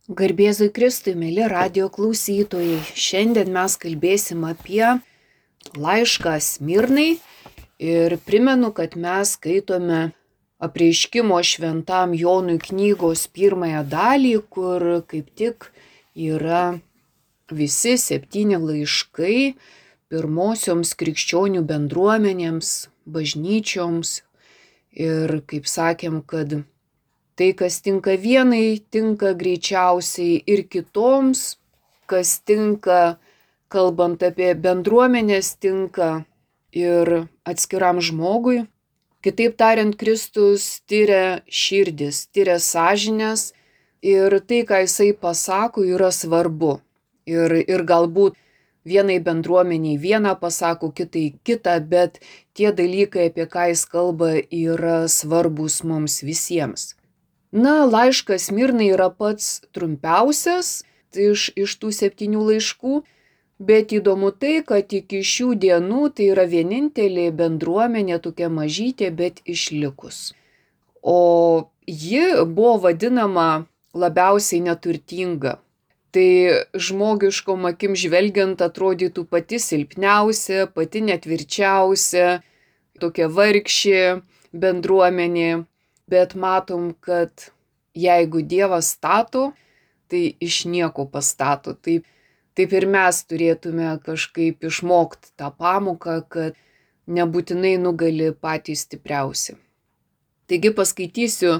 Garbėzui Kristui, mėly radijo klausytojai, šiandien mes kalbėsim apie laišką Smirnai ir primenu, kad mes skaitome apreiškimo šventam Jonui knygos pirmąją dalį, kur kaip tik yra visi 7 laiškai pirmosioms krikščionių bendruomenėms, bažnyčioms ir kaip sakėm, kad tai, kas tinka vienai, tinka greičiausiai ir kitoms, kas tinka, kalbant apie bendruomenės, tinka ir atskiram žmogui. Kitaip tariant, Kristus tyria širdis, tyria sąžinės ir tai, ką jisai pasako, yra svarbu. Ir galbūt vienai bendruomeniai vieną pasako, kitai kitą, bet tie dalykai, apie ką jis kalba, yra svarbus mums visiems. Laiškas Smirnai yra pats trumpiausias iš tų 7 laiškų, bet įdomu tai, kad iki šių dienų tai yra vienintelė bendruomenė tokia mažytė, bet išlikus. O ji buvo vadinama labiausiai neturtinga. Tai žmogiškom akim žvelgiant atrodytų pati silpniausia, pati netvirčiausia, tokia vargšė bendruomenė. Bet matom, kad jeigu Dievas stato, tai iš nieko pastato. Taip ir mes turėtume kažkaip išmokti tą pamoką, kad nebūtinai nugali patys stipriausi. Taigi paskaitysiu,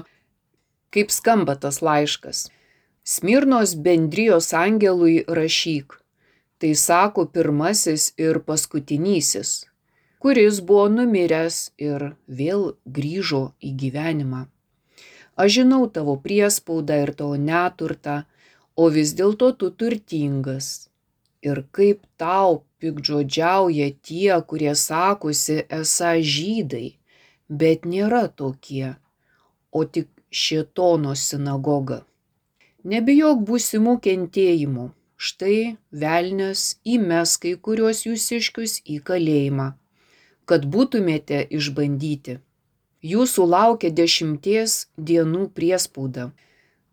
kaip skamba tas laiškas. Smirnos bendrijos angelui rašyk. Tai sako pirmasis ir paskutinysis, kuris buvo numiręs ir vėl grįžo į gyvenimą. Aš žinau tavo priespaudą ir tavo neturtą, o vis dėlto tu turtingas. Ir kaip tau piktžodžiauja tie, kurie sakosi esą žydai, bet nėra tokie, o tik šėtono sinagoga. Nebijok būsimų kentėjimų, štai velnias įmes kai kuriuos jūsiškius į kalėjimą, kad būtumėte išbandyti. Jūsų laukia 10 dienų priespauda.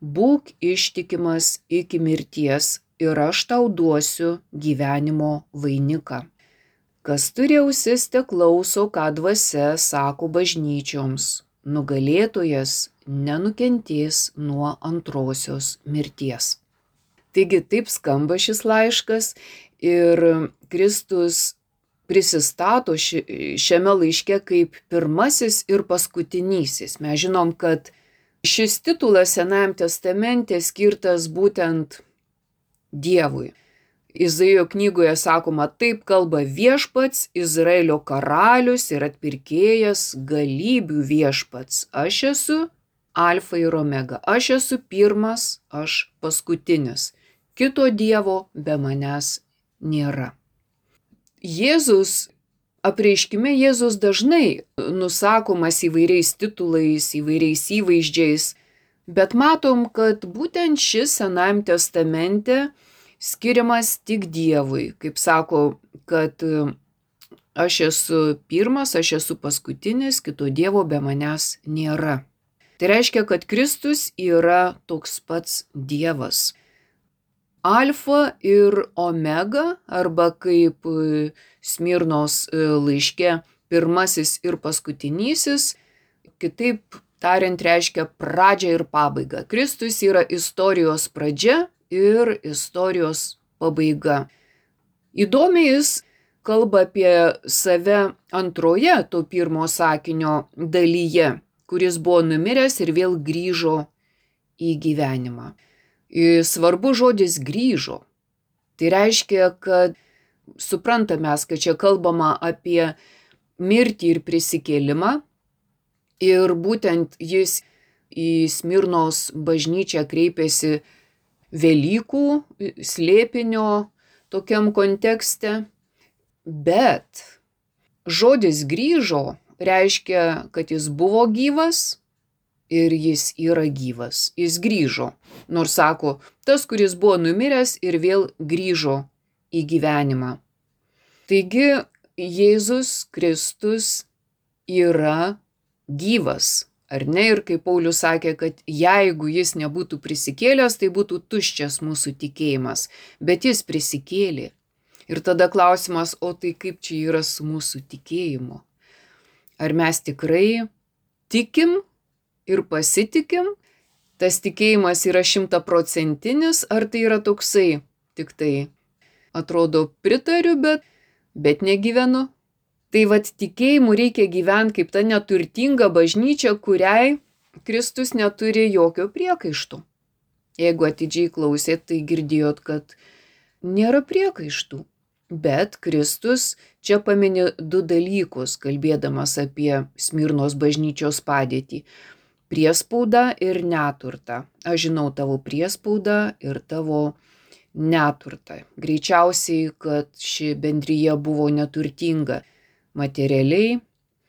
Būk ištikimas iki mirties ir aš tau duosiu gyvenimo vainiką. Kas turi ausis, te klauso, ką dvasia sako bažnyčioms. Nugalėtojas nenukentės nuo antrosios mirties. Taigi taip skamba šis laiškas ir Kristus prisistato šiame laiške kaip pirmasis ir paskutinysis. Mes žinom, kad šis titulas Senajam testamente skirtas būtent Dievui. Izaijo knygoje sakoma, taip kalba viešpats, Izraelio karalius ir atpirkėjas, galybių viešpats. Aš esu Alfa ir Omega. Aš esu pirmas, aš paskutinis. Kito Dievo be manęs nėra. Apreiškime Jėzus dažnai nusakomas įvairiais titulais, įvairiais įvaizdžiais, bet matom, kad būtent šis Senajam testamente skiriamas tik Dievui. Kaip sako, kad aš esu pirmas, aš esu paskutinis, kito Dievo be manęs nėra. Tai reiškia, kad Kristus yra toks pats Dievas. Alfa ir Omega, arba kaip Smirnos laiške pirmasis ir paskutinysis, kitaip tariant reiškia pradžią ir pabaigą. Kristus yra istorijos pradžia ir istorijos pabaiga. Įdomiai jis kalba apie save antroje to pirmo sakinio dalyje, kuris buvo numiręs ir vėl grįžo į gyvenimą. Svarbu žodis grįžo. Tai reiškia, kad suprantame, kad čia kalbama apie mirtį ir prisikėlimą ir būtent jis į Smirnos bažnyčią kreipėsi Velykų slėpinio tokiam kontekste, bet žodis grįžo reiškia, kad jis buvo gyvas ir jis yra gyvas. Jis grįžo, nors sako, tas, kuris buvo numiręs ir vėl grįžo į gyvenimą. Taigi Jėzus Kristus yra gyvas, Ar ne? Ir kaip Paulius sakė, kad jeigu jis nebūtų prisikėlęs, tai būtų tuščias mūsų tikėjimas. Bet jis prisikėlė. Ir tada klausimas, o tai kaip čia yra su mūsų tikėjimu? Ar mes tikrai tikim ir pasitikim? Tas tikėjimas yra 100%, ar tai yra toksai, tik tai atrodo pritariu, bet negyvenu? Tai vat tikėjimu reikia gyventi kaip ta neturtinga bažnyčia, kuriai Kristus neturi jokio priekaištų. Jeigu atidžiai klausėt, tai girdėjot, kad nėra priekaištų. Bet Kristus čia pamini 2 dalykus, kalbėdamas apie Smirnos bažnyčios padėtį. Priespaudą ir neturtą. Aš žinau tavo priespaudą ir tavo neturtą. Greičiausiai, kad ši bendrija buvo neturtinga materialiai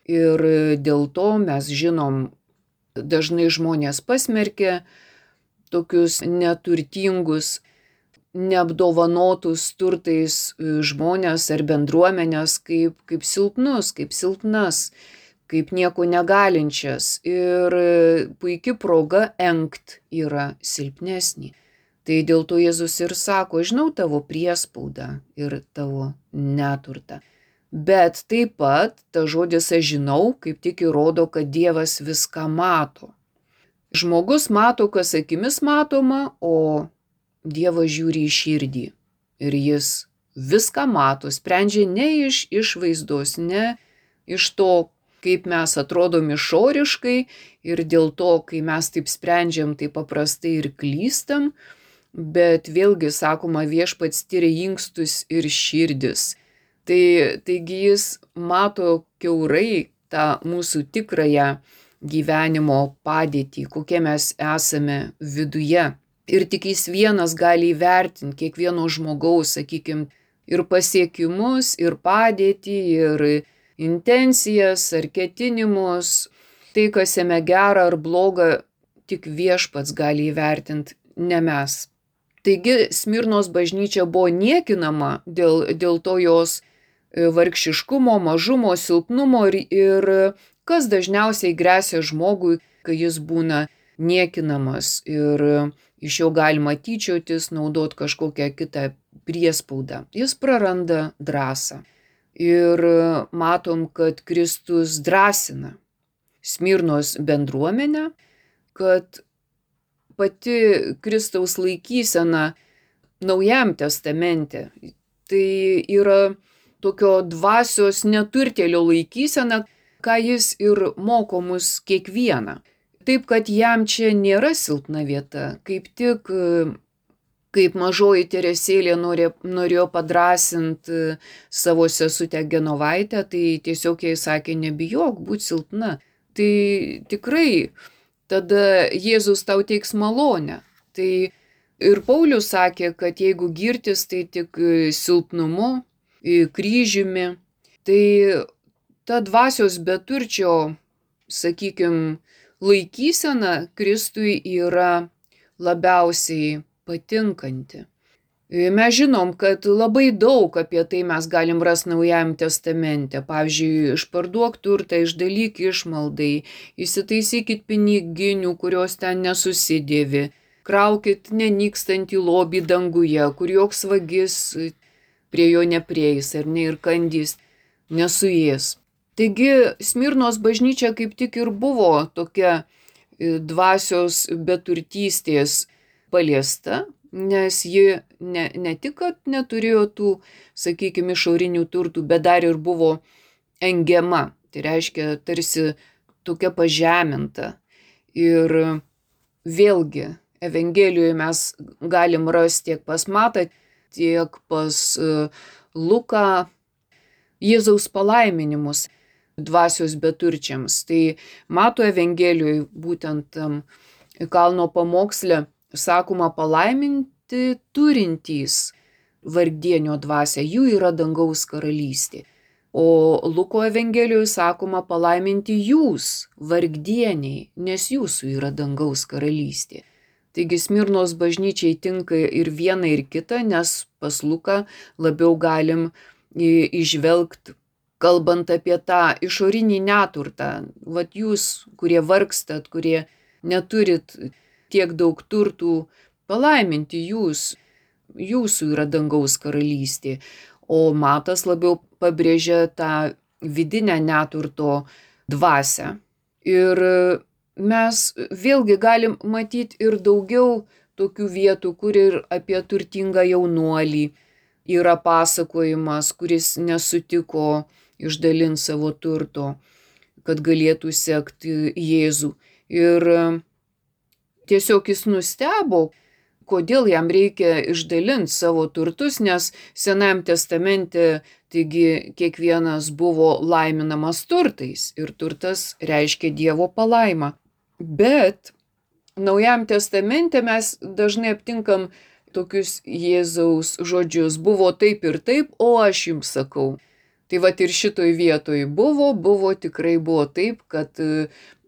ir dėl to mes žinom, dažnai žmonės pasmerkia tokius neturtingus, neapdovanotus turtais žmonės ar bendruomenės kaip silpnus, kaip silpnas, kaip nieko negalinčias ir puikia proga engt yra silpnesnį. Tai dėl to Jėzus ir sako, žinau tavo priespaudą ir tavo neturtą. Bet taip pat ta žodis aš žinau, kaip tik įrodo, kad Dievas viską mato. Žmogus mato, kas akimis matoma, o Dievas žiūri į širdį. Ir jis viską mato, sprendžia ne iš išvaizdos, ne iš to, kaip mes atrodom išoriškai ir dėl to, kai mes taip sprendžiam, tai paprastai ir klystam, bet vėlgi, sakoma, Viešpats tyria inkstus ir širdis. Taigi jis mato kiaurai tą mūsų tikrąją gyvenimo padėtį, kokie mes esame viduje. Ir tik jis vienas gali įvertinti kiekvieno žmogaus, sakykime, ir pasiekimus, ir padėtį, ir intencijas, ar ketinimus. Tai, kas jame gera ar bloga, tik Viešpats gali įvertinti, ne mes. Taigi Smirnos bažnyčia buvo niekinama dėl to jos vargšiškumo, mažumo, silpnumo ir kas dažniausiai gresia žmogui, kai jis būna niekinamas ir iš jo galima tyčiotis, naudot kažkokią kitą priespaudą. Jis praranda drąsą. Ir matom, kad Kristus drąsina Smirnos bendruomenę, kad pati Kristaus laikysena Naujajam testamente tai yra tokio dvasios neturtėlio laikysena, ką jis ir moko mus kiekvieną. Taip, kad jam čia nėra silpna vieta, kaip tik kaip mažoji Teresėlė norėjo padrąsinti savo sesutę Genovaitę, tai tiesiog jai sakė, nebijok, būt silpna. Tai tikrai tada Jėzus tau teiks malonę. Tai ir Paulius sakė, kad jeigu girtis, tai tik silpnumu, kryžiumi, tai ta dvasios beturčio, sakykime, laikysena Kristui yra labiausiai patinkanti. Mes žinom, kad labai daug apie tai mes galim rasti Naujajam testamente. Pavyzdžiui, išparduok turtą, išdalyk išmaldai, įsitaisykit piniginių, kurios ten nesusidėvi, kraukit nenykstantį lobį danguje, kur joks vagis prie jo neprieis ar ne ir kandys nesuės. Taigi Smirnos bažnyčia kaip tik ir buvo tokia dvasios beturtystės paliesta, nes ji ne tik, kad neturėjo tų, sakykime, išorinių turtų, bet dar ir buvo engiama. Tai reiškia tarsi tokia pažeminta. Ir vėlgi Evangelijoje mes galim rasti tiek pas Matą, tiek pas Luką Jėzaus palaiminimus dvasios beturčiams. Tai Mato Evangelijoje būtent kalno pamoksle sakoma palaiminti turintys vargdienio dvasią, jų yra dangaus karalystė. O Luko Evangelijoje sakoma palaiminti jūs, vargdieniai, nes jūsų yra dangaus karalystė. Taigi Smirnos bažnyčiai tinka ir viena ir kita, nes pas Luką labiau galim išvelgti, kalbant apie tą išorinį neturtą, vat jūs, kurie vargstat, kurie neturit tiek daug turtų, palaiminti jūs, jūsų yra dangaus karalystė. O Matas labiau pabrėžia tą vidinę neturto dvasią. Ir mes vėlgi galim matyti ir daugiau tokių vietų, kur ir apie turtingą jaunuolį yra pasakojimas, kuris nesutiko išdalinti savo turto, kad galėtų sekti Jėzų. Ir tiesiog jis nustebo, kodėl jam reikia išdalinti savo turtus, nes Senajam testamente, taigi kiekvienas buvo laiminamas turtais ir turtas reiškia Dievo palaimą. Bet Naujam testamente mes dažnai aptinkam tokius Jėzaus žodžius: buvo taip ir taip, o aš jums sakau. Tai vat ir šitoj vietoj tikrai buvo taip, kad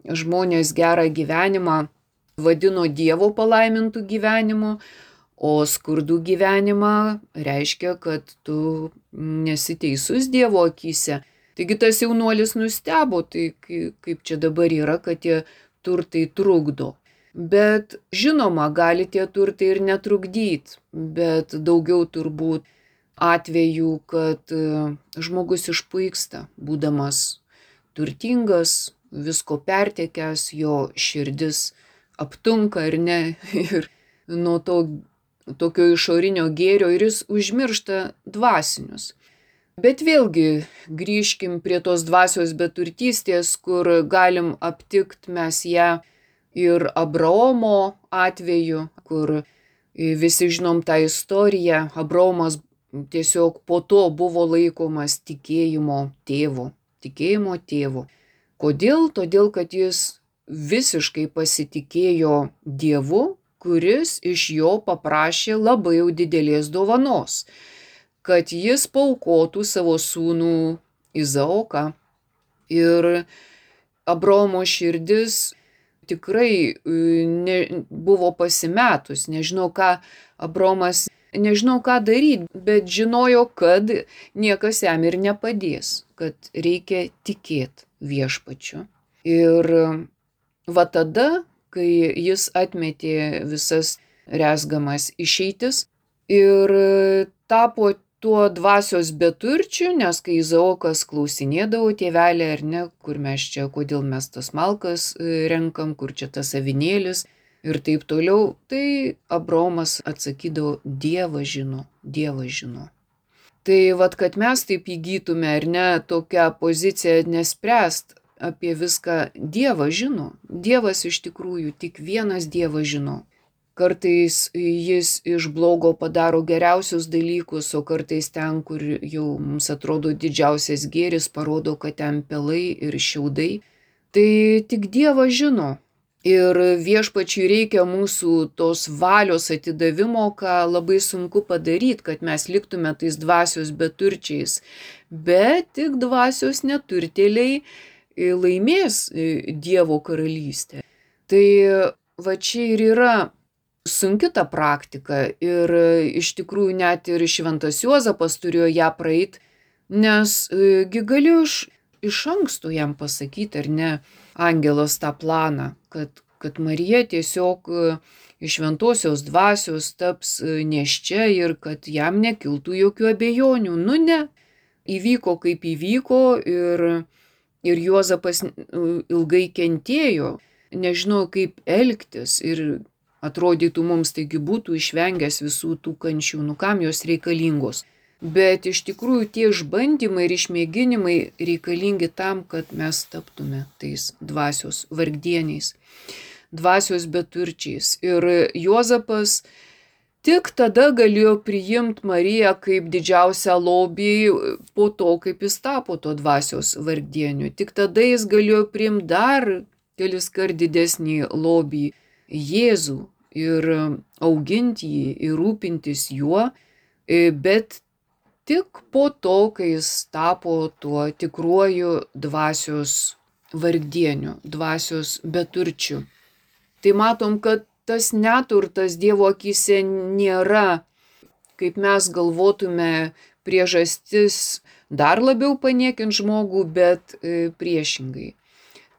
žmonės gerą gyvenimą vadino Dievo palaimintų gyvenimu, o skurdų gyvenimą reiškia, kad tu nesi teisus Dievo akyse. Taigi tas jaunuolis nustebo, tai kaip čia dabar yra, kad tie turtai trukdo. Bet žinoma, gali tie turtai ir netrukdyti, bet daugiau turbūt atvejų, kad žmogus išpuiksta, būdamas turtingas, visko pertekęs, jo širdis aptunka ir ne, ir nuo to tokio išorinio gėrio ir jis užmiršta dvasinius. Bet vėlgi grįžkim prie tos dvasios beturtystės, kur galim aptikti mes ją ir Abraomo atveju, kur visi žinom tą istoriją. Abraomas tiesiog po to buvo laikomas tikėjimo tėvu. Kodėl? Todėl, kad jis visiškai pasitikėjo Dievu, kuris iš jo paprašė labai jau didelės dovanos, kad jis paaukotų savo sūnų Izaoką. Ir Abraomo širdis tikrai buvo pasimetus, nežinau ką daryti, bet žinojo, kad niekas jam ir nepadės, kad reikia tikėti viešpačiu. Ir va tada, kai jis atmetė visas rezgamas išeitis ir tapo tuo dvasios beturčiu, nes kai Izaokas klausinėdavo: tėvelė, ar ne, kur mes čia, kodėl mes tas malkas renkam, kur čia tas avinėlis ir taip toliau, tai Abraomas atsakydavo: Dievas žino. Tai vat, kad mes taip įgytume, ar ne, tokią poziciją nespręst apie viską, Dievas žino. Dievas iš tikrųjų, tik vienas Dievas žino. Kartais jis iš blogo padaro geriausius dalykus, o kartais ten, kur jau mums atrodo didžiausias gėris, parodo, kad ten pelai ir šiaudai. Tai tik Dievas žino. Ir viešpačiui reikia mūsų tos valios atidavimo, ką labai sunku padaryti, kad mes liktume tais dvasios beturčiais. Bet tik dvasios neturtėliai laimės Dievo karalystę. Tai va čia ir yra sunki ta praktika ir iš tikrųjų net ir šventas Juozapas turėjo ją praeit, nes gi galiu iš anksto jam pasakyti, ar ne, angelas tą planą, kad Marija tiesiog iš šventosios dvasios taps nėščia ir kad jam nekiltų jokių abejonių. Nu ne, įvyko kaip įvyko ir Juozapas ilgai kentėjo, nežinojo kaip elgtis ir atrodytų mums, taigi būtų išvengęs visų tų kančių, nu kam jos reikalingos. Bet iš tikrųjų tie išbandymai ir išmėginimai reikalingi tam, kad mes taptume tais dvasios vargdieniais, dvasios beturčiais. Ir Juozapas tik tada galėjo priimti Mariją kaip didžiausią lobį po to, kaip jis tapo to dvasios vargdieniu. Tik tada jis galėjo priimti dar keliskart didesnį lobį, Jėzų, ir auginti jį, ir rūpintis juo, bet tik po to, kai jis tapo tuo tikruoju dvasios vargdieniu, dvasios beturčiu. Tai matom, kad tas neturtas Dievo akyse nėra, kaip mes galvotume, priežastis dar labiau paniekint žmogų, bet priešingai.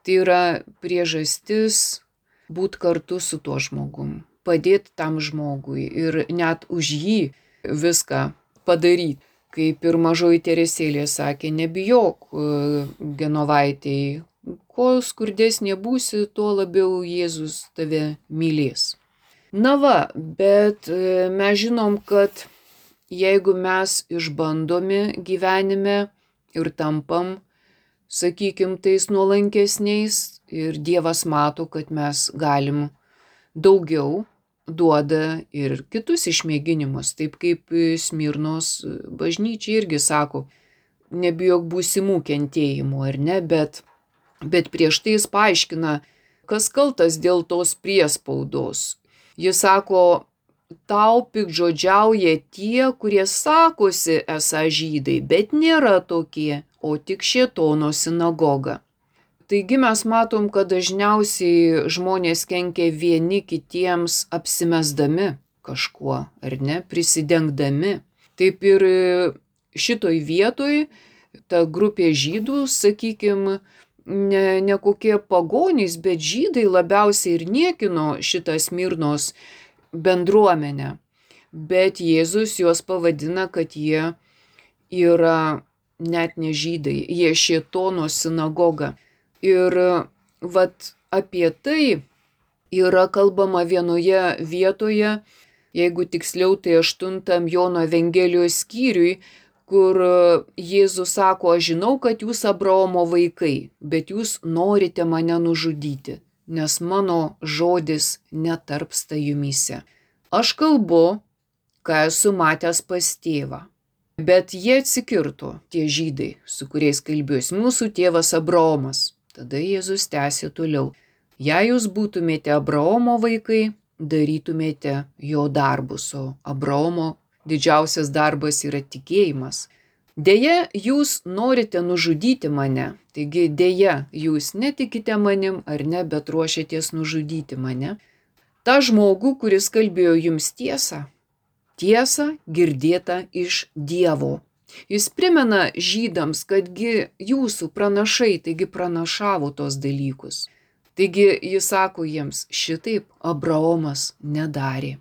Tai yra priežastis būti kartu su tuo žmogum, padėti tam žmogui ir net už jį viską padaryti. Kaip ir mažoji Teresėlė sakė, nebijok, Genovaitei, kuo skurdesnė būsi, tuo labiau Jėzus tave mylės. Na va, bet mes žinom, kad jeigu mes išbandomi gyvenime ir tampam, sakykim, tais nuolankesniais ir Dievas mato, kad mes galim daugiau, duoda ir kitus išmėginimus, taip kaip Smirnos bažnyčia irgi sako, nebijok būsimų kentėjimų, ar ne, bet prieš tai jis paaiškina, kas kaltas dėl tos priespaudos. Jis sako, tau piktžodžiauja tie, kurie sakosi esą žydai, bet nėra tokie, o tik šėtono sinagoga. Taigi mes matom, kad dažniausiai žmonės kenkia vieni kitiems apsimesdami kažkuo, ar ne, prisidengdami. Taip ir šitoj vietoj ta grupė žydų, sakykim, ne kokie pagonys, bet žydai labiausiai ir niekino šitą Smirnos bendruomenę. Bet Jėzus juos pavadina, kad jie yra net ne žydai, jie šėtono sinagoga. Ir vat apie tai yra kalbama vienoje vietoje, jeigu tiksliau tai 8 Jono Evangelijos skyriui, kur Jėzus sako, aš žinau, kad jūs Abraomo vaikai, bet jūs norite mane nužudyti, nes mano žodis netarpsta jumyse. Aš kalbu, ką esu matęs pas tėvą. Bet jie atsikirto, tie žydai, su kuriais kalbėjus, mūsų tėvas Abraomas. Tada Jėzus tęsė toliau. Jei jūs būtumėte Abraomo vaikai, darytumėte jo darbus, o Abraomo didžiausias darbas yra tikėjimas. Deja, jūs norite nužudyti mane, taigi deja, jūs netikite manim ar ne, bet ruošiatės nužudyti mane. Ta žmogų, kuris kalbėjo jums tiesą girdėta iš Dievo. Jis primena žydams, kadgi jūsų pranašai, taigi pranašavo tos dalykus. Taigi jis sako jiems, šitaip Abraomas nedarė.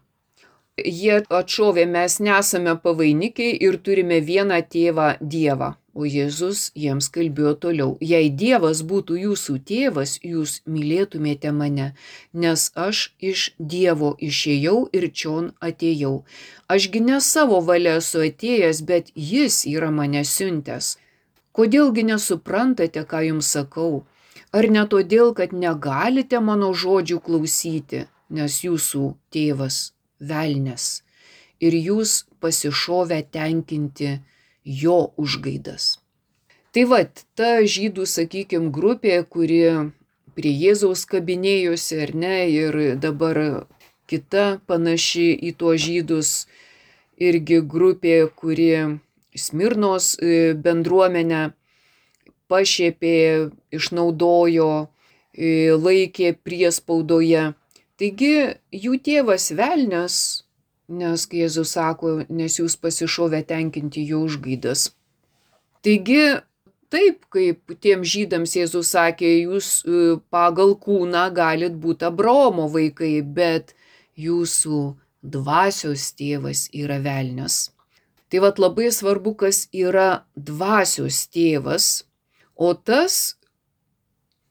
Jie atšovė, mes nesame pavainikiai ir turime vieną tėvą Dievą. O Jėzus jiems kalbėjo toliau. Jei Dievas būtų jūsų tėvas, jūs mylėtumėte mane, nes aš iš Dievo išėjau ir čion atėjau. Ašgi ne savo valia esu atėjęs, bet jis yra mane siuntęs. Kodėlgi nesuprantate, ką jums sakau? Ar ne todėl, kad negalite mano žodžių klausyti, nes jūsų tėvas velnias ir jūs pasišovę tenkinti jo užgaidas. Tai vat, ta žydų, sakykim, grupė, kuri prie Jėzaus kabinėjosi, ar ne, ir dabar kita panaši į tuos žydus, irgi grupė, kuri Smirnos bendruomenę pašiepė, išnaudojo, laikė priespaudoje. Taigi jų tėvas velnias, nes kai Jėzus sako, nes jūs pasišovę tenkinti jo užgaidas. Taigi taip, kaip tiem žydams Jėzus sakė, jūs pagal kūną galit būti Abraomo vaikai, bet jūsų dvasios tėvas yra velnias. Tai vat labai svarbu, kas yra dvasios tėvas, o tas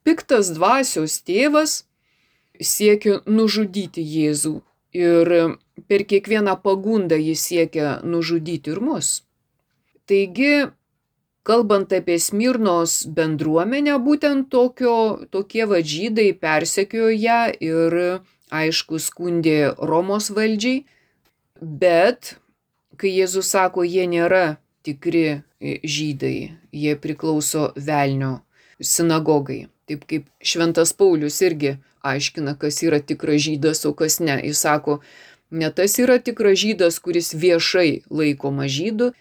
piktas dvasios tėvas siekia nužudyti Jėzų ir per kiekvieną pagundą jis siekia nužudyti ir mus. Taigi, kalbant apie Smirnos bendruomenę, būtent tokie žydai persekiojo ją ir, aišku, skundė Romos valdžiai, bet kai Jėzus sako, jie nėra tikri žydai, jie priklauso velnio sinagogai. Taip kaip Šventas Paulius irgi aiškina, kas yra tikras žydas, o kas ne. Jis sako, ne tas yra tikras žydas, kuris viešai laikoma žydu,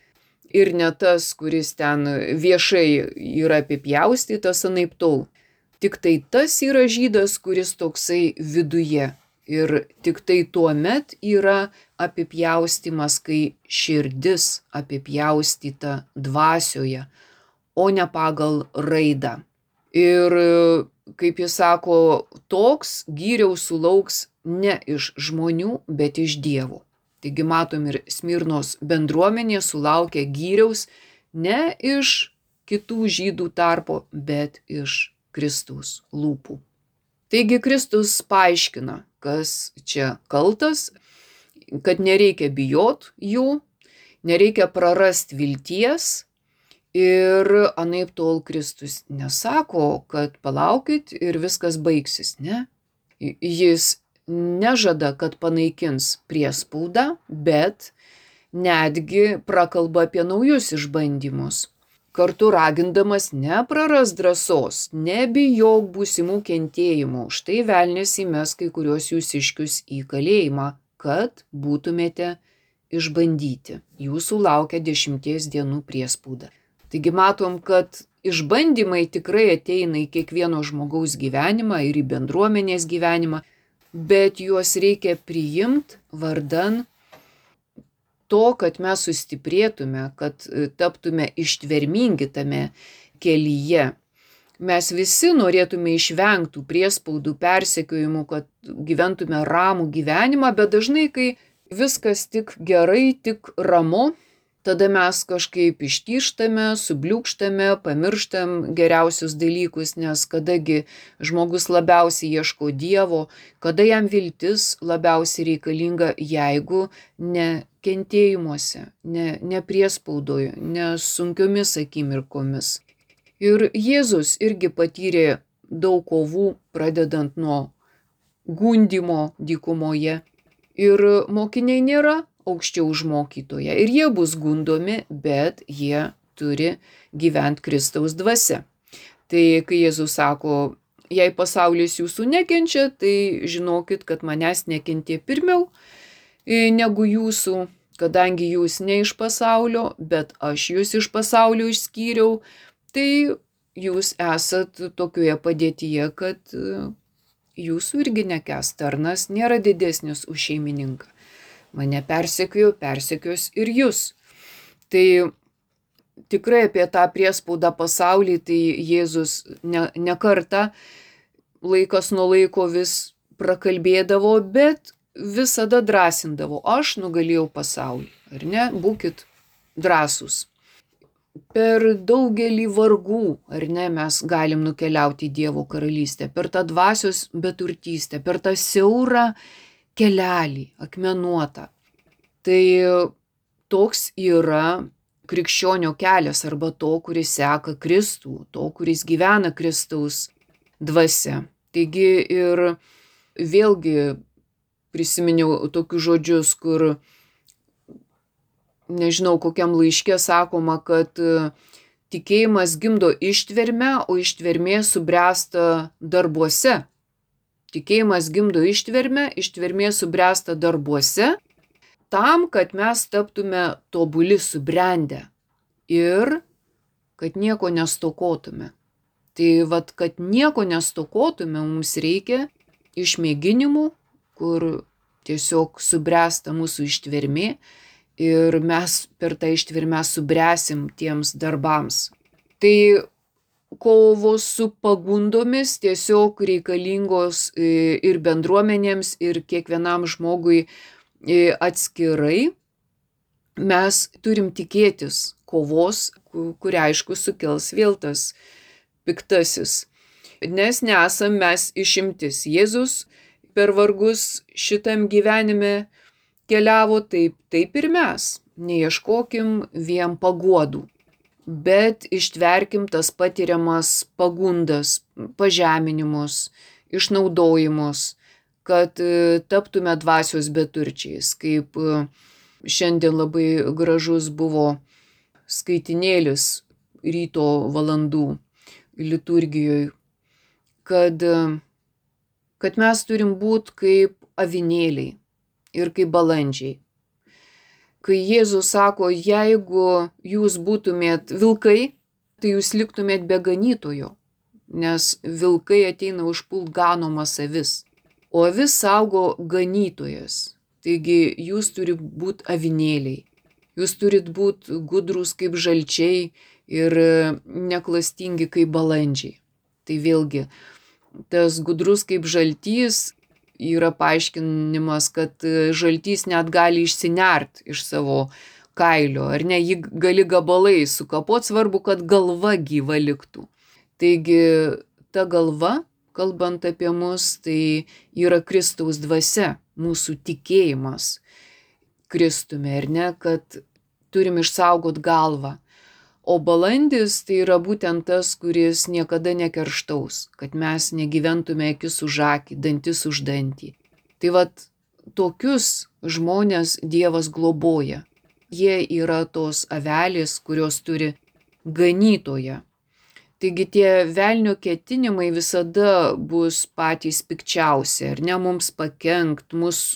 ir ne tas, kuris ten viešai yra apipjaustytas anaiptol. Tik tai tas yra žydas, kuris toksai viduje Ir tik tai tuomet yra apipjaustymas, kai širdis apipjaustyta dvasioje, o ne pagal raidą. Ir kaip jis sako, toks gyriaus sulauks ne iš žmonių, bet iš Dievo. Taigi matom, ir Smirnos bendruomenė sulaukė gyriaus ne iš kitų žydų tarpo, bet iš Kristaus lūpų. Taigi Kristus paaiškina, kas čia kaltas, kad nereikia bijot jų, nereikia prarasti vilties. Ir anaip tol Kristus nesako, kad palaukit ir viskas baigsis, ne? Jis nežada, kad panaikins priespaudą, bet netgi prakalba apie naujus išbandymus. Kartu ragindamas neprarast drąsos, nebijok būsimų kentėjimų, štai velnias įmes kai kuriuos jūsiškius į kalėjimą, kad būtumėte išbandyti. Jūsų laukia 10 dienų priespauda. Taigi matom, kad išbandymai tikrai ateina į kiekvieno žmogaus gyvenimą ir į bendruomenės gyvenimą, bet juos reikia priimti vardan to, kad mes sustiprėtume, kad taptume ištvermingi tame kelyje. Mes visi norėtume išvengti priespaudų, persekiojimų, kad gyventume ramų gyvenimą, bet dažnai, kai viskas tik gerai, tik ramu, tada mes kažkaip ištyžtame, subliūkštame, pamirštam geriausius dalykus, nes kadagi žmogus labiausiai ieško Dievo, kada jam viltis labiausiai reikalinga, jeigu ne kentėjimuose, ne priespaudoje, ne sunkiomis akimirkomis. Ir Jėzus irgi patyrė daug kovų, pradedant nuo gundymo dykumoje. Ir mokiniai nėra aukščiau už mokytoją. Ir jie bus gundomi, bet jie turi gyventi Kristaus dvasia. Tai kai Jėzus sako, jei pasaulis jūsų nekenčia, tai žinokit, kad manęs nekentė pirmiau negu jūsų, kadangi jūs ne iš pasaulio, bet aš jūs iš pasaulio išskyriau, tai jūs esat tokioje padėtyje, kad jūsų irgi nekęs, tarnas nėra didesnis už šeimininką. Mane persekios ir jūs. Tai tikrai apie tą priespaudą pasaulį, tai Jėzus ne kartą laikas nuo laiko vis prakalbėdavo, bet visada drąsindavo. Aš nugalėjau pasaulį, ar ne? Būkit drąsūs. Per daugelį vargų, ar ne, mes galim nukeliauti į Dievo karalystę, per tą dvasios beturtystę, per tą siaurą kelelį, akmenuotą. Tai toks yra krikščionio kelias arba to, kuris seka Kristų, to, kuris gyvena Kristaus dvasia. Taigi ir vėlgi prisiminiau tokius žodžius, kur nežinau, kokiam laiške sakoma, kad tikėjimas gimdo ištvermę, o ištvermė subręsta darbuose. Tikėjimas gimdo ištvermę, ištvermė subręsta darbuose, tam, kad mes taptume tobuli, subrendę ir kad nieko nestokotume. Tai vat, kad nieko nestokotume, mums reikia išmėginimų, kur tiesiog subręsta mūsų ištvermė ir mes per tą ištvermę subręsim tiems darbams. Tai kovos su pagundomis tiesiog reikalingos ir bendruomenėms, ir kiekvienam žmogui atskirai. Mes turim tikėtis kovos, kurią aišku sukels vėl tas piktasis. Nes nesam mes išimtis. Jėzus per vargus šitam gyvenime keliavo taip ir mes. Neieškokim vien paguodų, bet ištverkim tas patiriamas pagundas, pažeminimus, išnaudojimus, kad taptume dvasios beturčiais. Kaip šiandien labai gražus buvo skaitinėlis ryto valandų liturgijoje, kad mes turim būti kaip avinėliai ir kaip balandžiai. Kai Jėzus sako, jeigu jūs būtumėt vilkai, tai jūs liktumėt be ganytojo, nes vilkai ateina užpult ganomas avis. o avis saugo ganytojas. Taigi jūs turi būti avinėliai. Jūs turit būti gudrus kaip žalčiai ir neklastingi kaip balandžiai. Tai vėlgi, tas gudrus kaip žaltys yra paaiškinimas, kad žaltys net gali išsinert iš savo kailio, ar ne, jį gali gabalai sukapot, svarbu, kad galva gyva liktų. Taigi ta galva, kalbant apie mus, tai yra Kristaus dvasia, mūsų tikėjimas Kristumi, ar ne, kad turim išsaugot galvą. O balandis tai yra būtent tas, kuris niekada nekerštaus, kad mes negyventume akis už akį, dantis už dantį. Tai vat tokius žmonės Dievas globoja. Jie yra tos avelės, kurios turi ganytoją. Taigi tie velnio ketinimai visada bus patys pikčiausi, ar ne, mums pakenkt, mus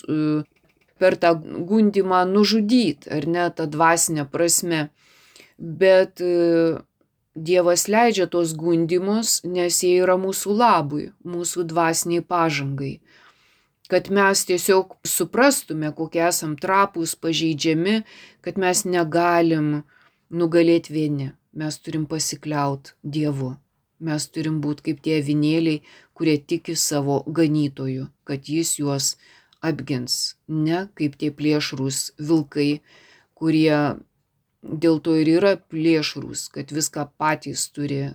per tą gundymą nužudyt, ar ne, tą dvasinę prasme. Bet Dievas leidžia tos gundymus, nes jie yra mūsų labui, mūsų dvasiniai pažangai. Kad mes tiesiog suprastume, kokie esam trapūs, pažeidžiami, kad mes negalim nugalėti vieni. Mes turim pasikliaut Dievu. Mes turim būti kaip tie avinėliai, kurie tiki savo ganytoju, kad jis juos apgins. Ne kaip tie plėšrūs vilkai, kurie dėl to ir yra plėšrūs, kad viską patys turi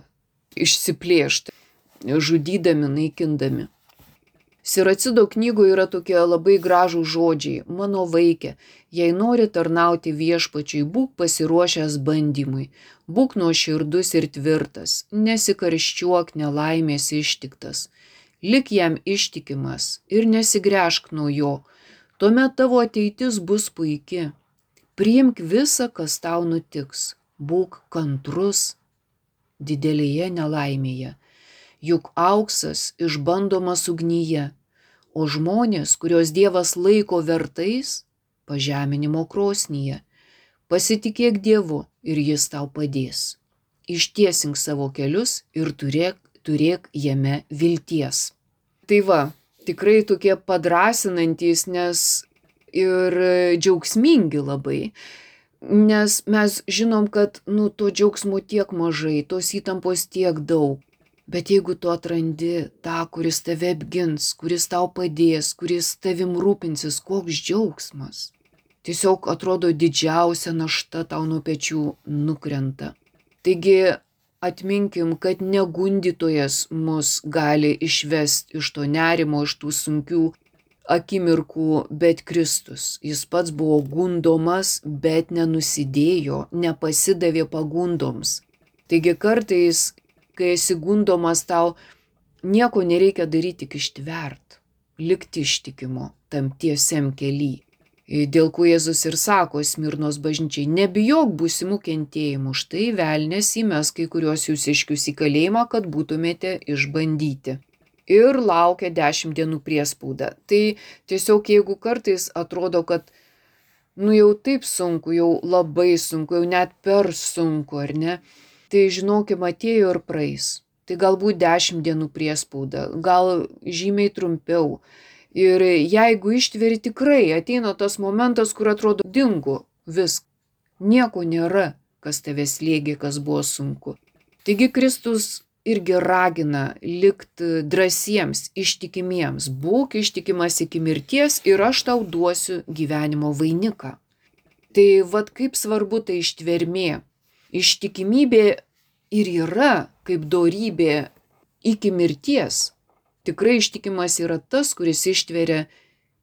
išsiplėšti, žudydami, naikindami. Siracido knygoje yra tokie labai gražūs žodžiai. Mano vaike, jei nori tarnauti viešpačiui, būk pasiruošęs bandymui, būk nuoširdus ir tvirtas, nesikarščiuok nelaimės ištiktas, lik jam ištikimas ir nesigręžk nuo jo, tuomet tavo ateitis bus puiki. Priimk visą, kas tau nutiks, būk kantrus didelėje nelaimėje, juk auksas išbandomas ugnyje, o žmonės, kurios Dievas laiko vertais, pažeminimo krosnyje. Pasitikėk Dievu ir jis tau padės. Ištiesink savo kelius ir turėk jame vilties. Tai va, tikrai tokie padrasinantys, nes ir džiaugsmingi labai, nes mes žinom, kad to džiaugsmo tiek mažai, tos įtampos tiek daug. Bet jeigu tu atrandi tą, kuris tave apgins, kuris tau padės, kuris tavim rūpinsis, koks džiaugsmas. Tiesiog atrodo didžiausia našta tau nuo pečių nukrenta. Taigi atminkim, kad ne gundytojas mus gali išvesti iš to nerimo, iš tų sunkių akimirkų, bet Kristus. Jis pats buvo gundomas, bet nenusidėjo, nepasidavė pagundoms. Taigi kartais, kai esi gundomas, tau nieko nereikia daryti, tik ištvert, likti ištikimu tam tiesiam kely. Dėl ko Jėzus ir sako Smirnos bažnyčiai, nebijok būsimų kentėjimų, štai velnias įmes kai kuriuos jūsiškius į kalėjimą, kad būtumėte išbandyti. Ir laukia 10 dienų priespauda. Tai tiesiog jeigu kartais atrodo, kad jau taip sunku, jau labai sunku, jau net per sunku, ar ne, tai žinokim, atėjo ir praeis. Tai galbūt 10 dienų priespauda, gal žymiai trumpiau. Ir jeigu ištveri, tikrai ateina tas momentas, kur atrodo dingo viskas. Nieko nėra, kas tave slėgė, kas buvo sunku. Taigi Kristus irgi ragina likti drąsiems, ištikimiems. Būk ištikimas iki mirties ir aš tau duosiu gyvenimo vainiką. Tai vat kaip svarbu ta ištvermė. Ištikimybė ir yra kaip dorybė iki mirties. Tikrai ištikimas yra tas, kuris ištveria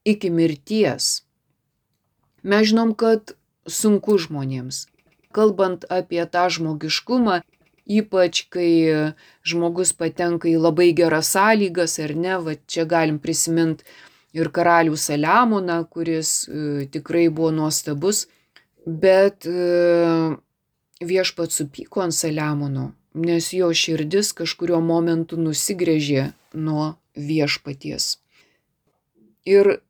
iki mirties. Mes žinom, kad sunku žmonėms. Kalbant apie tą žmogiškumą, ypač kai žmogus patenka į labai geras sąlygas, ar ne, va čia galim prisiminti ir karalių Saliamoną, kuris tikrai buvo nuostabus, bet viešpats supyko ant Saliamono, nes jo širdis kažkurio momentu nusigręžė nuo viešpaties. Ir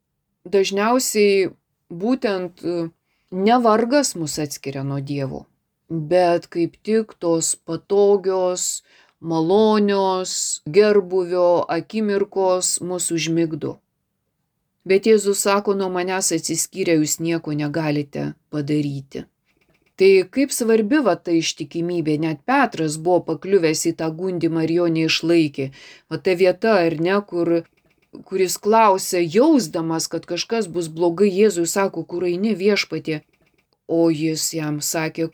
dažniausiai būtent ne vargas mus atskiria nuo Dievo, bet kaip tik tos patogios, malonios, gerbūvio akimirkos mus užmigdo. Bet Jėzus sako, nuo manęs atsiskyrę jūs nieko negalite padaryti. Tai kaip svarbi ta ištikimybė, net Petras buvo pakliuvęs į tą gundymą ir jo neišlaikė. Ta vieta, ar ne, kuris klausė, jausdamas, kad kažkas bus blogai, Jėzui sako, kur eini viešpatie, o jis jam sakė,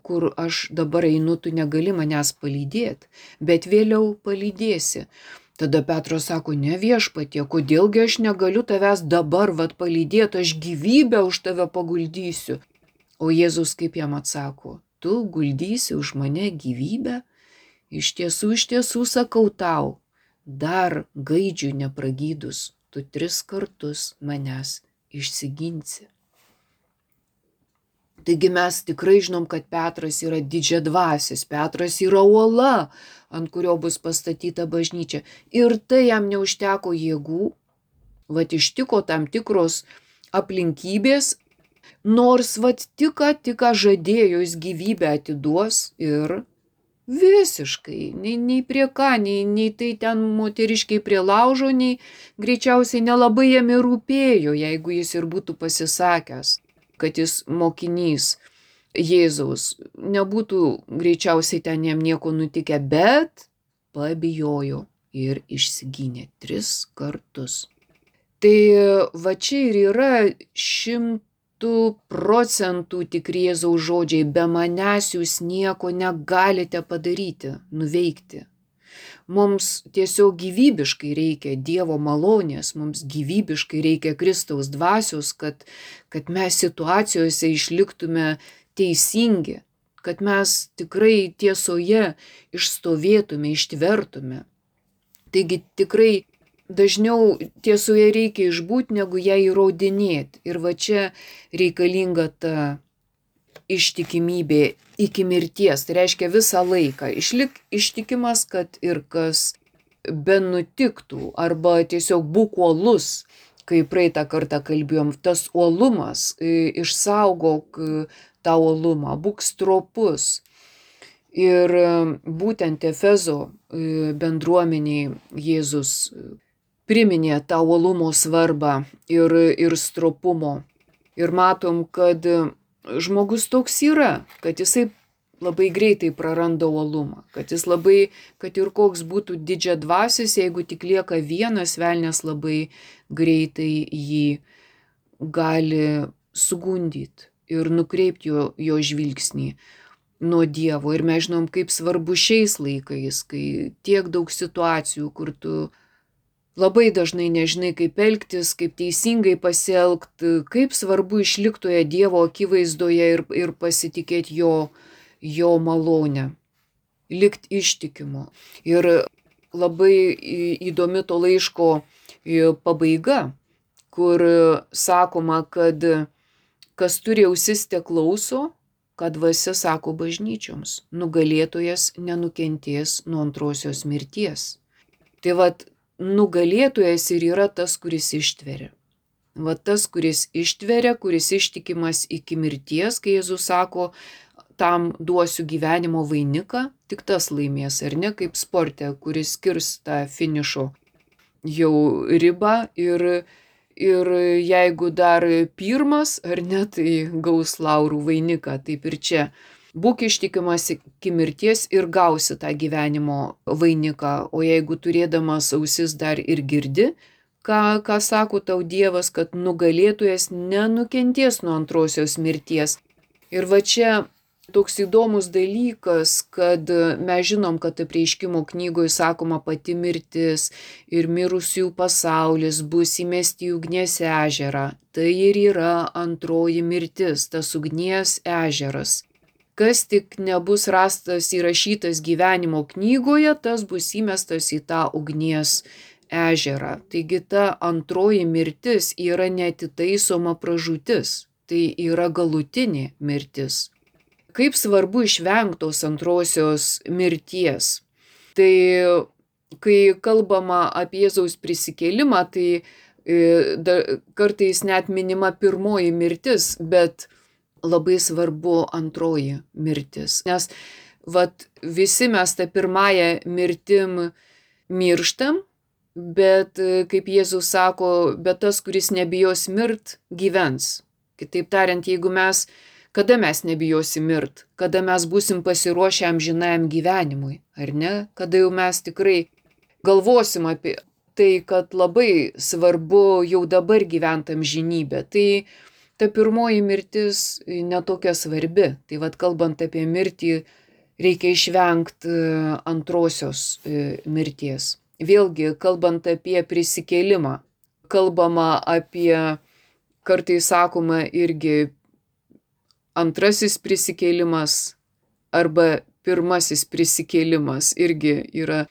kur aš dabar einu, tu negali manęs palydėti, bet vėliau palydėsi. Tada Petras sako, ne viešpatie, kodėlgi aš negaliu tavęs dabar palydėti, aš gyvybę už tave paguldysiu. O Jėzus kaip jam atsako, tu guldysi už mane gyvybę? Iš tiesų sakau tau, dar gaidžių nepragydus, tu 3 kartus manęs išsiginsi. Taigi mes tikrai žinom, kad Petras yra didžiadvasis, Petras yra uola, ant kurio bus pastatyta bažnyčia. Ir tai jam neužteko jėgų, ištiko tam tikros aplinkybės, nors tik žadėjo jis gyvybę atiduos ir visiškai, nei prie ką, nei tai ten moteriškiai prie laužo, nei greičiausiai nelabai jam ir rūpėjo, jeigu jis ir būtų pasisakęs, kad jis mokinys Jėzaus, nebūtų greičiausiai ten jam nieko nutikę, bet pabijojo ir išsigynė 3 kartus. Tai čia ir yra 100% tikri Jėzaus žodžiai, be manęs jūs nieko negalite padaryti, nuveikti. Mums tiesiog gyvybiškai reikia Dievo malonės, mums gyvybiškai reikia Kristaus dvasios, kad mes situacijose išliktume teisingi, kad mes tikrai tiesoje išstovėtume, ištvertume. Taigi tikrai dažniau tiesoje reikia išbūti, negu ją įrodinėti. Ir čia reikalinga ta ištikimybė iki mirties. Tai reiškia visą laiką. Išlik ištikimas, kad ir kas benutiktų, arba tiesiog būk uolus, kai praeitą kartą kalbėjom, tas uolumas, išsaugok tą uolumą, būk stropus. Ir būtent Efezo bendruomeniai Jėzus priminė tą uolumo svarbą ir stropumo. Ir matom, kad žmogus toks yra, kad jisai labai greitai praranda uolumą, kad ir koks būtų didžiadvasis, jeigu tik lieka vienas, velnias labai greitai jį gali sugundyti ir nukreipti jo žvilgsnį nuo Dievo. Ir mes žinom, kaip svarbu šiais laikais, kai tiek daug situacijų, kur tu labai dažnai nežinai, kaip elgtis, kaip teisingai pasielgti, kaip svarbu išlikti toje Dievo akivaizdoje ir pasitikėti jo malonę, likti ištikimu. Ir labai įdomi to laiško pabaiga, kur sakoma, kad kas turi ausis te klauso, kad dvasia sako bažnyčioms, nugalėtojas nenukentės nuo antrosios mirties. Tai nugalėtojas ir yra tas, kuris ištveria. Tas, kuris ištveria, kuris ištikimas iki mirties, kai Jėzus sako, tam duosiu gyvenimo vainiką, tik tas laimės, ar ne, kaip sporte, kuris skirs tą finišo jau ribą ir jeigu dar pirmas, ar ne, tai gaus laurų vainiką, taip ir čia. Būk ištikimas iki mirties ir gausi tą gyvenimo vainiką, o jeigu turėdamas ausis dar ir girdi, ką sako tau Dievas, kad nugalėtojas nenukentės nuo antrosios mirties. Ir čia toks įdomus dalykas, kad mes žinom, kad Apreiškimo knygoje sakoma pati mirtis ir mirusiųjų pasaulis bus įmesti į ugnies ežerą. Tai ir yra antroji mirtis, tas ugnies ežeras. Kas tik nebus rastas įrašytas gyvenimo knygoje, tas bus įmestas į tą ugnies ežerą. Taigi ta antroji mirtis yra neatitaisoma pražūtis, tai yra galutinė mirtis. Kaip svarbu išvengtos antrosios mirties. Tai kai kalbama apie Jėzaus prisikėlimą, tai kartais net minima pirmoji mirtis, bet labai svarbu antroji mirtis. Nes visi mes tą pirmąją mirtim mirštam, Bet kaip Jėzus sako, bet tas, kuris nebijos mirt, gyvens. Kitaip tariant, kada mes nebijosim mirt, kada mes būsim pasiruošę amžinajam gyvenimui, ar ne? Kada jau mes tikrai galvosim apie tai, kad labai svarbu jau dabar gyvent amžinybę. Tai ta pirmoji mirtis netokia svarbi. Tai vat kalbant apie mirtį, reikia išvengti antrosios mirties. Vėlgi, kalbant apie prisikėlimą, kalbama apie, kartais sakoma irgi, antrasis prisikėlimas arba pirmasis prisikėlimas irgi yra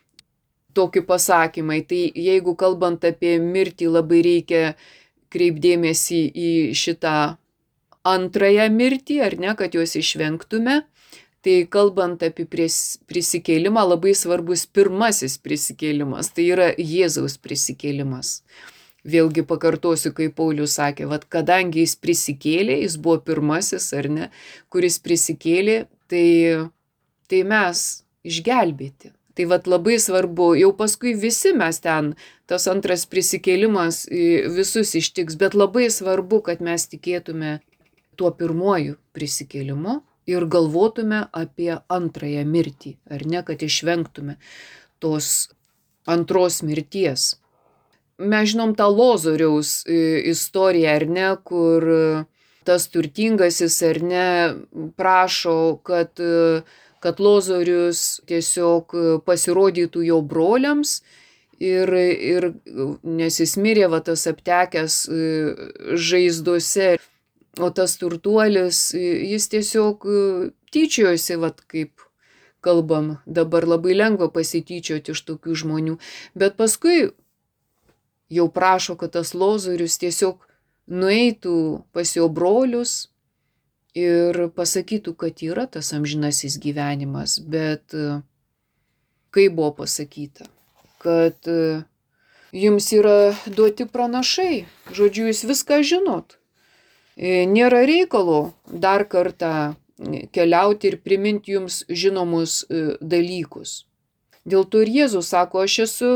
tokie pasakymai. Tai jeigu kalbant apie mirtį, labai reikia kreipdėmėsi į šitą antrąją mirtį, ar ne, kad juos išvengtume. Tai kalbant apie prisikėlimą, labai svarbus pirmasis prisikėlimas, tai yra Jėzaus prisikėlimas. Vėlgi pakartosiu, kaip Paulius sakė, kadangi jis prisikėlė, jis buvo pirmasis, ar ne, kuris prisikėlė, tai mes išgelbėti. Tai labai svarbu, jau paskui visi mes ten, tas antras prisikėlimas visus ištiks, bet labai svarbu, kad mes tikėtume tuo pirmuoju prisikėlimu ir galvotume apie antrąją mirtį, ar ne, kad išvengtume tos antros mirties. Mes žinom tą Lozoriaus istoriją, ar ne, kur tas turtingasis, ar ne, prašo, kad Lozorius tiesiog pasirodytų jo broliams ir nes jis mirė tas aptekęs žaizdose. O tas turtuolis, jis tiesiog tyčiojosi, kaip kalbam, dabar labai lengva pasityčioti iš tokių žmonių. Bet paskui jau prašo, kad tas Lozorius tiesiog nueitų pas jo brolius ir pasakytų, kad yra tas amžinasis gyvenimas. Bet kaip buvo pasakyta, kad jums yra duoti pranašai, žodžiu, jūs viską žinot. Nėra reikalo dar kartą keliauti ir priminti jums žinomus dalykus. Dėl to ir Jėzus sako, aš esu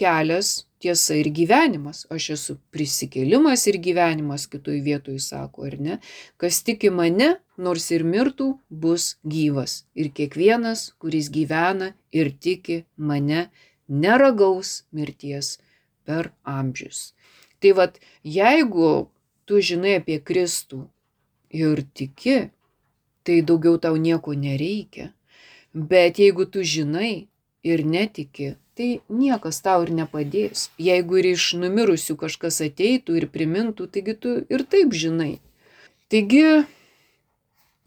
kelias, tiesa ir gyvenimas. Aš esu prisikėlimas ir gyvenimas, kitoj vietoj sako, ar ne? Kas tiki mane, nors ir mirtų, bus gyvas. Ir kiekvienas, kuris gyvena ir tiki mane, neragaus mirties per amžius. Tai jeigu tu žinai apie Kristų ir tiki, tai daugiau tau nieko nereikia. Bet jeigu tu žinai ir netiki, tai niekas tau ir nepadės. Jeigu ir iš numirusių kažkas ateitų ir primintų, taigi tu ir taip žinai. Taigi,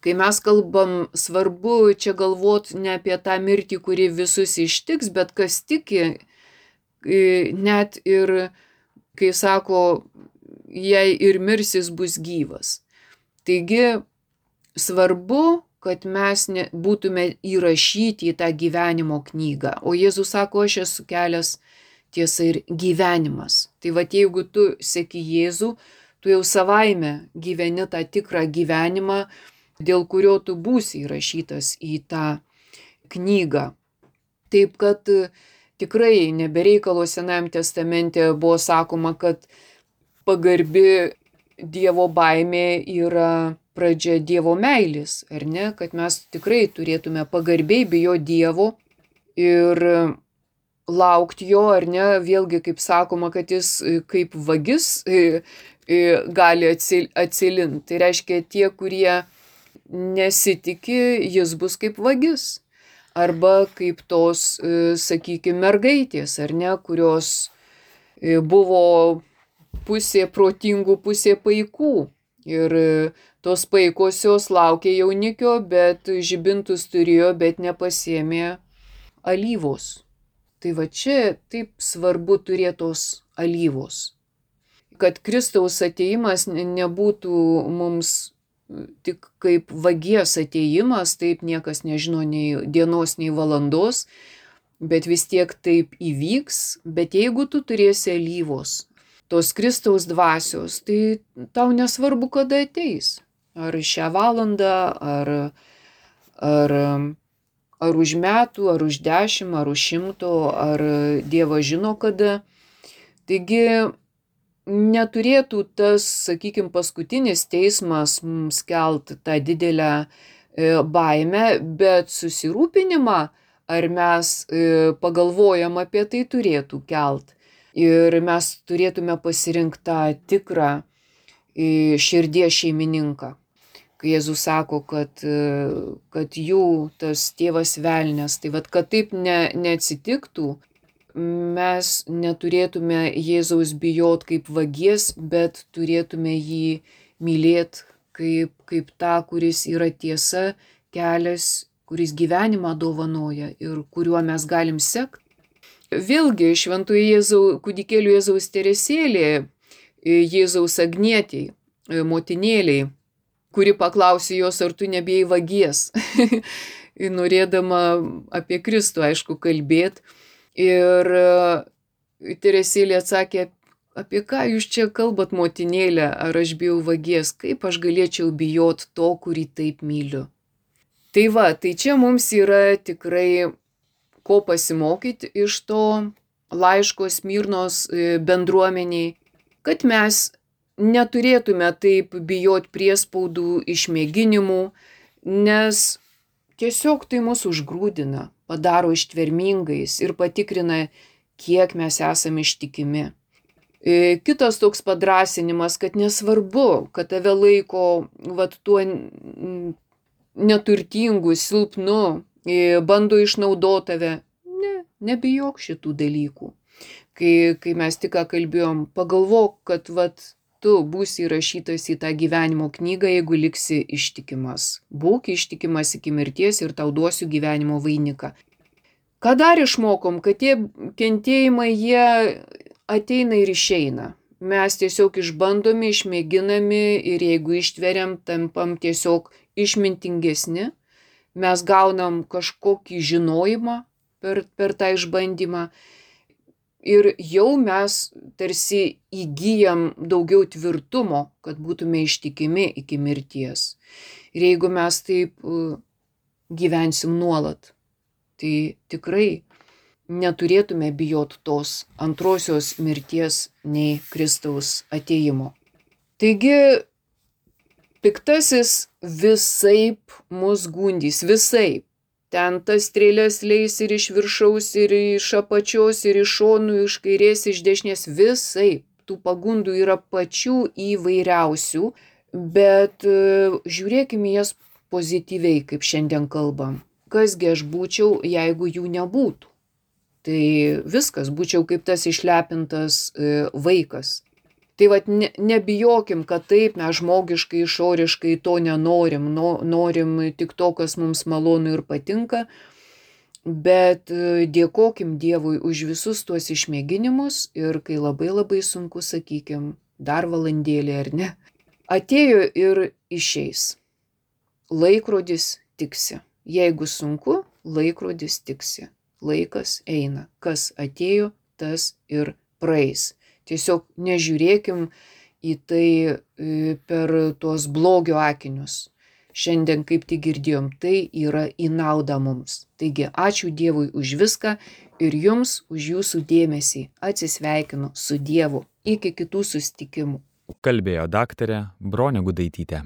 kai mes kalbam, svarbu čia galvot ne apie tą mirtį, kuri visus ištiks, bet kas tiki, net ir, kai sako, jei ir mirsis, bus gyvas. Taigi, svarbu, kad mes būtume įrašyti į tą gyvenimo knygą. O Jėzus sako, aš esu kelias, tiesa ir gyvenimas. Tai jeigu tu seki Jėzų, tu jau savaime gyveni tą tikrą gyvenimą, dėl kurio tu būsi įrašytas į tą knygą. Taip kad tikrai nebereikalo Senajam testamente buvo sakoma, kad pagarbi Dievo baimė yra pradžia Dievo meilės, ar ne? Kad mes tikrai turėtume pagarbiai bijoti Dievo ir laukti jo, ar ne? Vėlgi, kaip sakoma, kad jis kaip vagis gali atsilinti. Tai reiškia, tie, kurie nesitiki, jis bus kaip vagis. Arba kaip tos, sakykime, mergaitės, ar ne? Kurios buvo pusė protingų, pusė paikų. Ir tos paikosios laukė jaunikio, bet žibintus turėjo, bet nepasiėmė alyvos. Tai čia taip svarbu turėti tos alyvos. Kad Kristaus atėjimas nebūtų mums tik kaip vagies atėjimas, taip niekas nežino nei dienos, nei valandos, bet vis tiek taip įvyks. Bet jeigu tu turėsi alyvos, tos Kristaus dvasios, tai tau nesvarbu, kada ateis. Ar šią valandą, ar už metų, ar už 10, ar už 100, ar Dievas žino kada. Taigi neturėtų tas, sakykime, paskutinis teismas mums kelt tą didelę baimę, bet susirūpinimą, ar mes pagalvojam apie tai, turėtų kelt. Ir mes turėtume pasirinkti tą tikrą širdies šeimininką. Kai Jėzus sako, kad jų tas tėvas velnias, tai vat, kad taip neatsitiktų, mes neturėtume Jėzaus bijot kaip vagies, bet turėtume jį mylėt kaip tą, kuris yra tiesa, kelias, kuris gyvenimą dovanoja ir kuriuo mes galim sekti. Vėlgi, šventojo kūdikėlių Jėzaus Teresėlė, Jėzaus Agnietei, motinėliai, kuri klausė jos, ar tu nebijai vagies, norėdama apie Kristų, aišku, kalbėti. Ir Teresėlė atsakė, apie ką jūs čia kalbat, motinėlė, ar aš bijau vagies, kaip aš galėčiau bijot to, kurį taip myliu. Tai va, tai čia mums yra tikrai ko pasimokyti iš to laiško Smirnos bendruomeniai, kad mes neturėtume taip bijot priespaudų, išmėginimų, nes tiesiog tai mus užgrūdina, padaro ištvermingais ir patikrina, kiek mes esame ištikimi. Kitas toks padrasinimas, kad nesvarbu, kad tave laiko tuo neturtingu, silpnu, bando išnaudoti tave. Nebijok šitų dalykų. Kai mes tik kalbėjom, pagalvok, kad tu būsi įrašytas į tą gyvenimo knygą, jeigu liksi ištikimas. Būk ištikimas iki mirties ir tau duosiu gyvenimo vainiką. Ką dar išmokom, kad tie kentėjimai, jie ateina ir išeina. Mes tiesiog išbandomi, išmėginami ir jeigu ištveriam, tampam tiesiog išmintingesni. Mes gaunam kažkokį žinojimą per tą išbandymą. Ir jau mes tarsi įgyjam daugiau tvirtumo, kad būtume ištikimi iki mirties. Ir jeigu mes taip gyvensim nuolat, tai tikrai neturėtume bijot tos antrosios mirties nei Kristaus atėjimo. Taigi, piktasis visaip mus gundys, visaip. Ten tas strėlės leis ir iš viršaus, ir iš apačios, ir iš šonų, iš kairės, iš dešinės, visaip. Tų pagundų yra pačių įvairiausių, bet žiūrėkime jas pozityviai, kaip šiandien kalbam. Kasgi aš būčiau, jeigu jų nebūtų? Tai viskas, būčiau kaip tas išlepintas vaikas. Tai nebijokim, kad taip mes žmogiškai, išoriškai to nenorim, norim tik to, kas mums malonu ir patinka, bet dėkokim Dievui už visus tuos išmėginimus ir kai labai labai sunku, sakykim, dar valandėlį ar ne, atėjo ir išeis. Laikrodis tiksi. Jeigu sunku, laikrodis tiksi. Laikas eina. Kas atėjo, tas ir praeis. Tiesiog nežiūrėkim į tai per tuos blogio akinius. Šiandien, kaip tik girdėjom, tai yra į naudą mums. Taigi, ačiū Dievui už viską ir jums už jūsų dėmesį. Atsisveikinu su Dievu. Iki kitų susitikimų. Kalbėjo daktarė Bronė Gudaitytė.